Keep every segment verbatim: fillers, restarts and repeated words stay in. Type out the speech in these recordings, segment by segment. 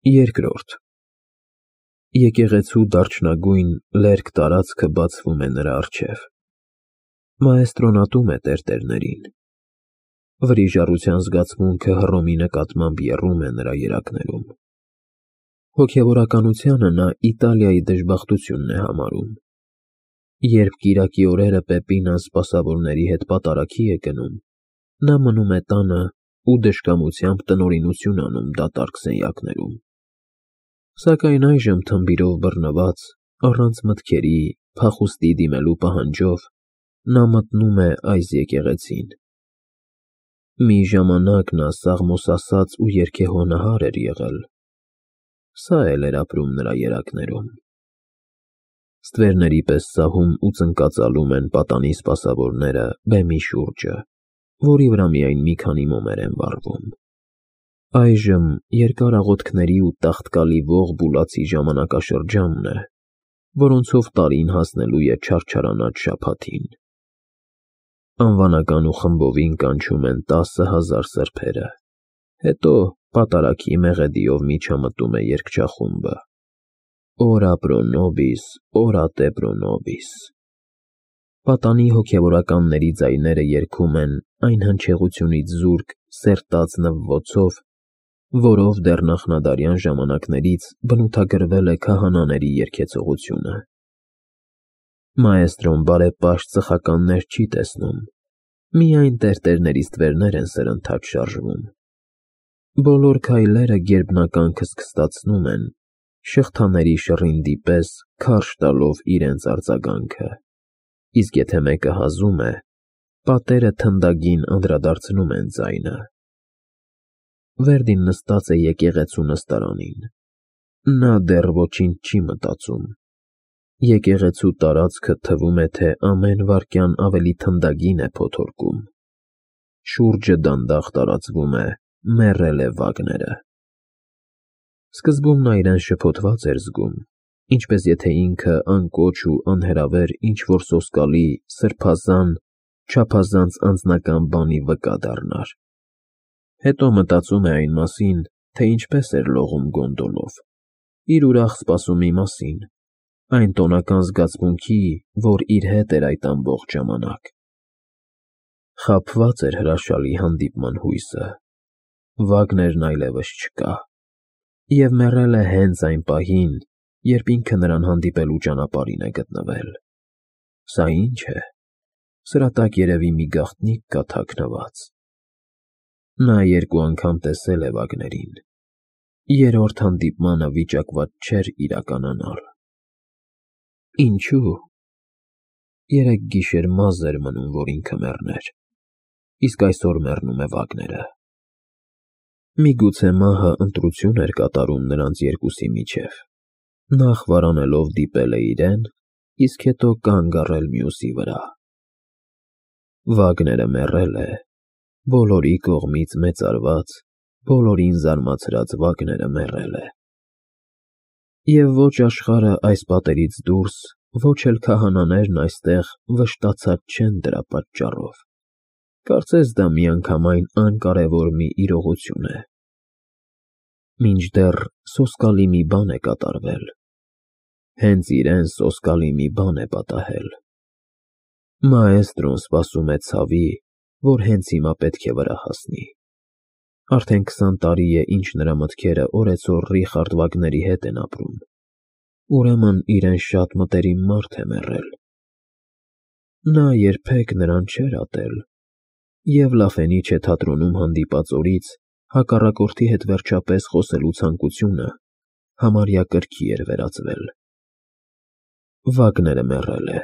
Երկրորդ Եկեղեցու դարչնագույն լերկ տարածքը բացվում է նրա առջև։ Մաեստրոն ատում է տերտերներին։ Վրիժառության զգացմունքը Հռոմի նկատմամբ եռում է նրա երակներում։ Հոգևորականությանը նա Իտալիայի դժբախտությունն է համարում։ Երբ կիրակի օրերը Պեպինան սպասավորների հետ պատարագի է գնում, նա մնում է տանը ու դժկամությամբ տնօրինություն անում դատարկ սենյակներում։ Սակայն այժմ թմբիրով բռնված, առանց մտքերի, փախուստի դիմելու պահանջով, նա մտնում է այս եկեղեցին։ Մի ժամանակ նա սաղմոսասած ու երգեհոնահար էր եղել, սա էլ էր ապրում նրա երակներում։ Ստվերների պես սահում ու ծնկածալում են պատանի սպասավորները բեմի շուրջը, որի վրա միայն մի քանի մոմեր են վառվում։ Այժմ երկար աղոթքների ու տաղտկալի ողջ բուլացի ժամանակաշրջանն է, որոնցով տարին հասնելու է չարչարանած շաբաթին։ Անվանական ու խմբովին կանչում են տասը հազար սրբերը, հետո պատարագի մեղեդիով միջամտում է երգչախումբը. Օրա պրո նոբիս, օրա տե պրո նոբիս։ Պատանի հոգևորականների ձայները երգում են այն հնչեղությունից զուրկ սերտած նվվոցով, որով դեռ նախնադարյան ժամանակներից բնութագրվել է քահանաների երգեցողությունը։ Մաեստրոն բարեպաշտ ծխականներ չի տեսնում, միայն տերտերների ստվերներ են սրընթաց շարժվում։ Բոլոր քայլերը գերբնական քստքստացնում են, շղթաների շռինդի պես քարշ տալով իրենց արձագանքը, իսկ եթե մեկը հազում է, պատերը թնդագին անդրադարձնում են ձայնը։ Վերդին նստած է եկեղեցու նստարանին։ Նա դեռ ոչինչ չի մտածում։ Եկեղեցու տարածքը թվում է, թե ամեն վայրկյան ավելի թնդագին է փոթորկում։ Շուրջը դանդաղ տարածվում է «Մեռել է Վագները»։ Սկզբում նա իրեն շփոթված էր զգում, ինչպես եթե ինքը անկոչ ու անհրավեր ինչ-որ սոսկալի, սրբազան, չափազանց անձնական բանի վկա դառնար։ Հետո մտածում է այն մասին, թե ինչպես էր լողում գոնդոլով, իր ուրախ սպասումի մասին, այն տոնական զգացմունքի, որ իր հետ էր այդ ամբողջ ժամանակ։ Խաբված էր հրաշալի հանդիպման հույսը։ Վագներն այլևս չկա, և մեռել է հենց այն պահին, երբ ինքը նրան հանդիպելու ճանապարհին է գտնվել։ Սա ի՞նչ է, սրա տակ երևի մի գաղտնիք կա թաքնված։ Նա երկու անգամ տեսել է Վագներին։ Երրորդ հանդիպմանը վիճակված չէր իրականանալ։ Ինչո՞ւ։ Երեկ գիշեր մազը էր մնում, որ ինքը մեռներ, իսկ այսօր մեռնում է Վագները։ Միգուցե մահը ընտրություն էր կատարում նրանց երկուսի միջև, նախ վարանելով դիպել է իրեն, իսկ հետո կանգ առել մյուսի վրա։ Վագները մեռել է, բոլորի կողմից մեծարված, բոլորին զարմացրած Վագները մեռել է։ Եվ ոչ աշխարհը այս պատերից դուրս, ոչ էլ քահանաներն այստեղ վշտացած չեն դրա պատճառով։ Կարծես դա միանգամայն անկարևոր մի իրողություն է։ Մինչդեռ սոսկալի մի բան է կատարվել։ Հենց իրեն սոսկալի մի բան է պատահել։ Մաեստրոն սպասում է ցավի, որ հենց հիմա պետք է վրա հասնի։ Արդեն քսան տարի է, ինչ նրա մտքերը օրեցօր Ռիխարդ Վագների հետ են ապրում։ Ուրեմն իրեն շատ մտերիմ մարդ է մեռել։ Նա երբեք նրան չէր ատել, և Լաֆենիչե թատրոնում հանդիպած օրից հակառակորդի հետ վերջապես խոսելու ցանկությունը համարյա կրքի էր վերածվել։ Վագները մեռել է,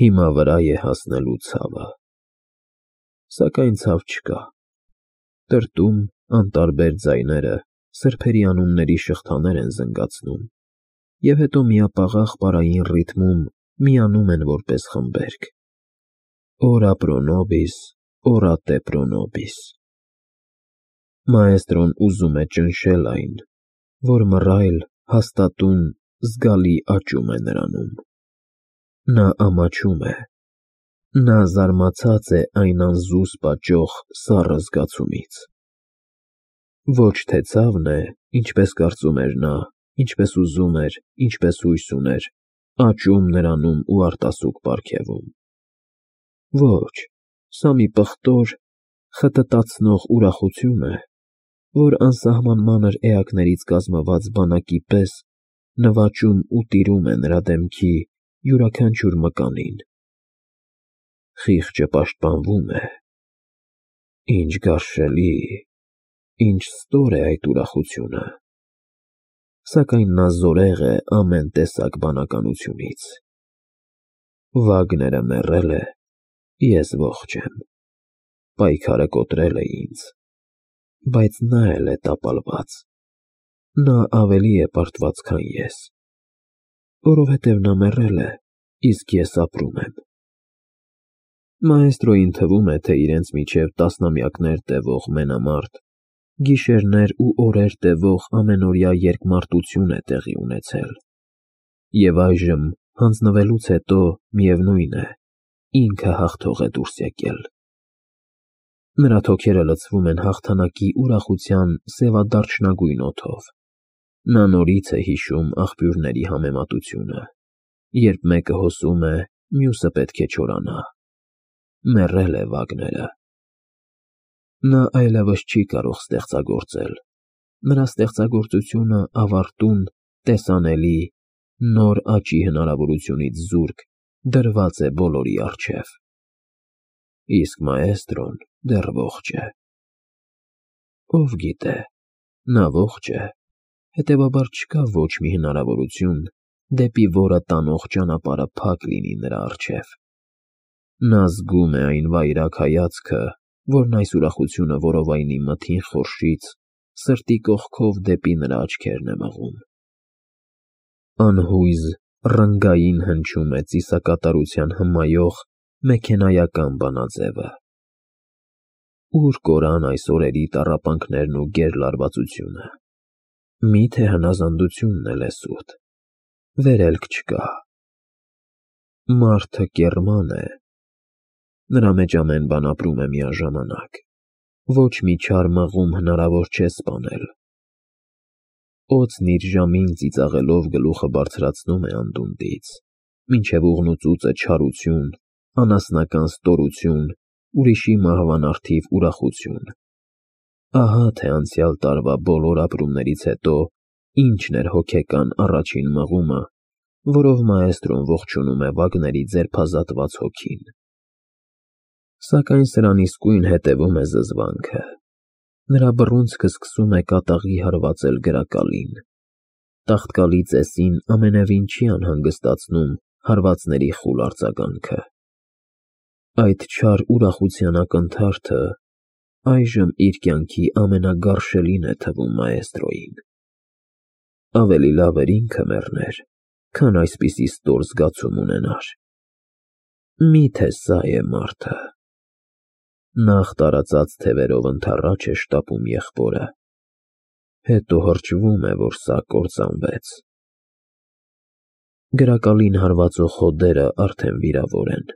հիմա վրա է հասնելու ցավը։ Սակայն ցավ չկա։ Տրտում, անտարբեր ձայները սրբերի անունների շղթաներ են զնգացնում, և հետո միապաղաղ պարային ռիթմում միանում են որպես խմբերգ. Օրա պրո նոբիս, օրա տե պրո նոբիս։ Մաեստրոն ուզում է ճնշել այն, որ մռայլ, հաստատուն, զգալի աճում է նրանում։ Նա ամաչում է։ Նա զարմացած է այն անզուսպ աճող սառը զգացումից։ Ոչ թե ցավն է, ինչպես կարծում էր նա, ինչպես ուզում էր, ինչպես հույս ուներ, աճում նրանում ու արտասուք պարգևում։ Ոչ, սա մի պղտոր, խտտացնող ուրախություն է, որ անսահման մանր էակներից կազմված բանակի պես նվաճում ու տիրում է նրա դեմքի յուրաքանչյուր մկանին։ Խիղճը պաշտպանվում է։ Ինչ գարշելի, ինչ ստոր է այդ ուրախությունը, սակայն նա զորեղ է ամեն տեսակ բանականությունից։ Վագները մեռել է, ես ողջ եմ, պայքարը կոտրել է ինձ, բայց նա էլ է տապալված, նա ավելի է պարտված, քան ես, որովհետև նա մեռել է, իսկ ես ապրում եմ։ Մաեստրոյին թվում է, թե իրենց միջև տասնամյակներ տևող մենամարտ, գիշերներ ու օրեր տևող ամենօրյա երկմարտություն է տեղի ունեցել, և այժմ, հանձնվելուց հետո, միևնույն է, ինքը հաղթող է դուրս եկել։ Նրա թոքերը լցվում են հաղթանակի ուրախության սևադարչնագույն օդով։ Նա նորից է հիշում աղբյուրների համեմատությունը, երբ մեկը հոսում է, մյուսը պետք է չորանա։ Մեռել է Վագները։ Նա այլևս չի կարող ստեղծագործել, նրա ստեղծագործությունը ավարտուն, տեսանելի, նոր աճի հնարավորությունից զուրկ դրված է բոլորի առջև։ Իսկ մաեստրոն դեռ ողջ է։ Ով գիտե, նա ողջ է, հետևաբար չկա ոչ մի հնարավորություն, դեպի որը տանող ճանապարհը փակ լինի նրա առջև։ Նա զգում է այն վայրագ հայացքը, որն այս ուրախությունը որովայնի մթին խորշից սրտի կողքով դեպի նրա աչքերն է մղում։ Անհույզ, ռնգային հնչում է ծիսակատարության հմայող մեքենայական բանաձևը։ Ուր կորան այս օրերի տառապանքներն ու գերլարվածությունը։ Մի՞թե հնազանդությունն էլ է սուտ։ Վերելք չկա։ Մարդը կեռման է։ Նրա մեջ ամեն բան ապրում է միաժամանակ։ Ոչ մի չար մղում հնարավոր չէ սպանել։ Օձն իր ժամին ծիծաղելով գլուխը բարձրացնում է անդունդից, մինչև ուղնուծուծը չարություն, անասնական ստորություն, ուրիշի մահվան առթիվ ուրախություն։ Ահա թե անցյալ տարվա բոլոր ապրումներից հետո ինչն էր հոգեկան առաջին մղումը, որով մաեստրոն ողջունում է Վագների ձերբազատված հոգին։ Սակայն սրան իսկույն հետևում է զզվանքը։ Նրա բռունցքը սկսում է կատաղի հարվածել գրակալին։ Տաղտկալի ծեսին ամենևին չի անհանգստացնում հարվածների խուլ արձագանքը։ Այդ չար ուրախության ակնթարթը այժմ իր կյանքի ամենագարշելին է թվում մաեստրոյին։ Ավելի լավ էր ինքը մեռներ, քան այսպիսի ստոր զգացում ունենար։ Մի՞թե սա է մարդը։ Նախ տարածած թևերով ընդառաջ է շտապում եղբորը, հետո հրճվում է, որ սա կործանվեց։ Գրակալին հարվածող հոդերը արդեն վիրավոր են։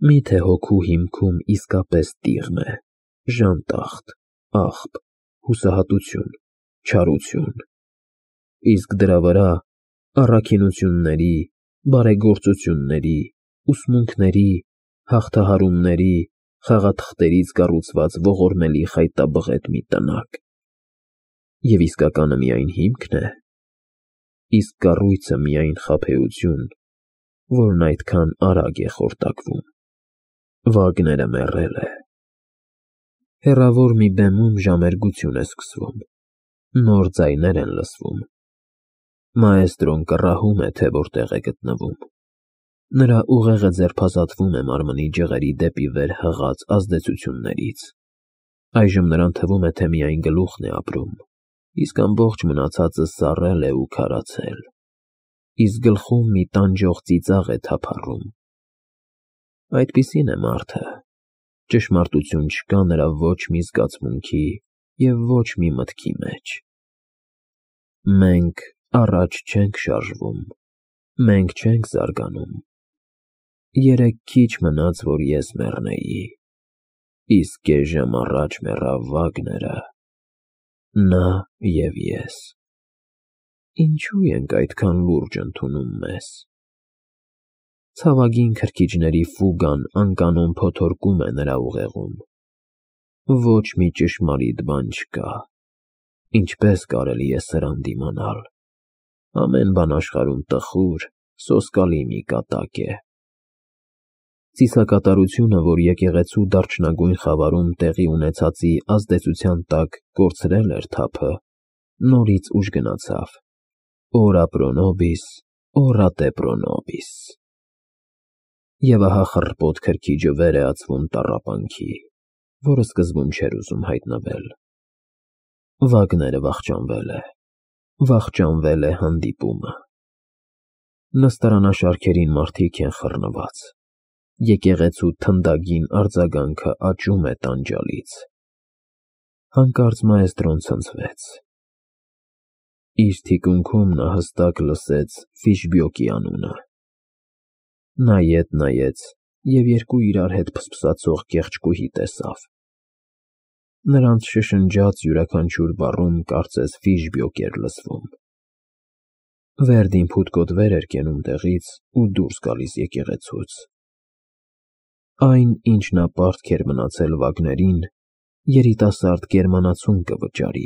Մի՞թե հոգու հիմքում իսկապես տիղմ է, ժանտախտ, աղբ, հուսահատություն, չարություն։ Իսկ դրա վրա առաքինությունների, բարեգործությունների, ուսմունքների, հաղթահարումների, խաղաթղթերից կառուցված ողորմելի խայտաբղետ մի տնակ։ Եվ իսկականը միայն հիմքն է, իսկ կառույցը միայն խաբեություն, որն այդքան արագ է խորտակվում։ Վագները մեռել է։ Հեռավոր մի բեմում ժամերգություն է սկսվում։ Նոր ձայներ են լսվում։ Մաեստրոն կռահում է, թե որտեղ է գտնվում։ Նրա ուղեղը ձերբազատվում է մարմնի ջղերի դեպի վեր հղած ազդեցություններից։ Այժմ նրան թվում է, թե միայն գլուխն է ապրում, իսկ ամբողջ մնացածը սառել է ու քարացել։ Իսկ գլխում մի տանջող ծիծաղ է թափառում։ Այդպիսին է մարդը։ Ճշմարտություն չկա նրա ոչ մի զգացմունքի և ոչ մի մտքի մեջ։ Մենք առաջ չենք շարժվում, մենք չենք զարգանում։ Երեկ քիչ մնաց, որ ես մեռնեի, իսկ կես ժամ առաջ մեռավ Վագները։ նա և ես։ Ինչու ենք այդքան լուրջ ընդունում մեզ։ Ցավագին քրքիջների ֆուգան անկանոն փոթորկում է նրա ուղեղում։ Ոչ մի ճշմարիտ բան չկա։ Ինչպե՞ս կարելի է սրան դիմանալ։ Ամեն բան աշխարհում տխուր, սոսկալի մի կատակ է։ Ծիսակատարությունը, որ եկեղեցու դարչնագույն խավարում տեղի ունեցածի ազդեցության տակ կորցրել էր թափը, նորից ուժ գնացավ. Օրա պրո նոբիս, օրատե պրո նոբիս։ Եվ ահա խռպոտ քրքիջը վեր է ածվում տառապանքի, որը սկզբում չէր ուզում հայտնվել։ Վագները վախճանվել է, վախճանվել է հանդիպումը։ Նստարանաշարքերին մարդիկ են խռնված։ Եկեղեցու թնդագին արձագանքը աճում է տանջալից։ Հանկարծ մայստրոն ցնցվեց։ Իր թիկունքում նա հստակ լսեց Ֆիշբյոկի անունը։ Նայեց, և երկու իրար հետ փսփսացող կեղճկուհի տեսավ։ Նրանց շշնջաց յուրաքանչյուր բառում կարծես Ֆիշբյոկ էր լսվում։ Վերդին փութկոտվեր էր կենում տեղից ու դուրս գալիս եկեղեցուց։ Այն, ինչ նա պարտք էր մնացել Վագներին, երիտասարդ գերմանացուն կվճարի։